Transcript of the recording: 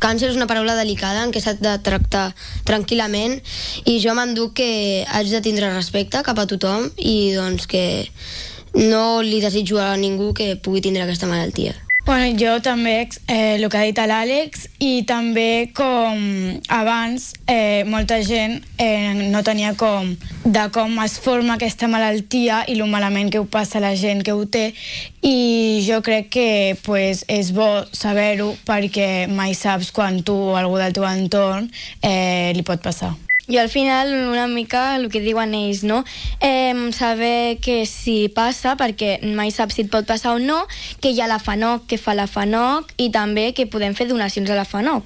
Càncer és una paraula delicada en què s'ha de tractar tranquil·lament i jo m'enduc que haig de tindre respecte cap a tothom i doncs que no li desitjo a ningú que pugui tindre aquesta malaltia. Bueno, jo també, el que ha dit l'Àlex, i també com abans molta gent no tenia com es forma aquesta malaltia i el malament que ho passa a la gent que ho té, i jo crec que és bo saber-ho perquè mai saps quan tu o algú del teu entorn li pot passar. Jo al final una mica el que diuen ells, no? Saber que si passa, perquè mai saps si et pot passar o no, que hi ha la FANOC, que fa la FANOC, i també que podem fer donacions a la FANOC.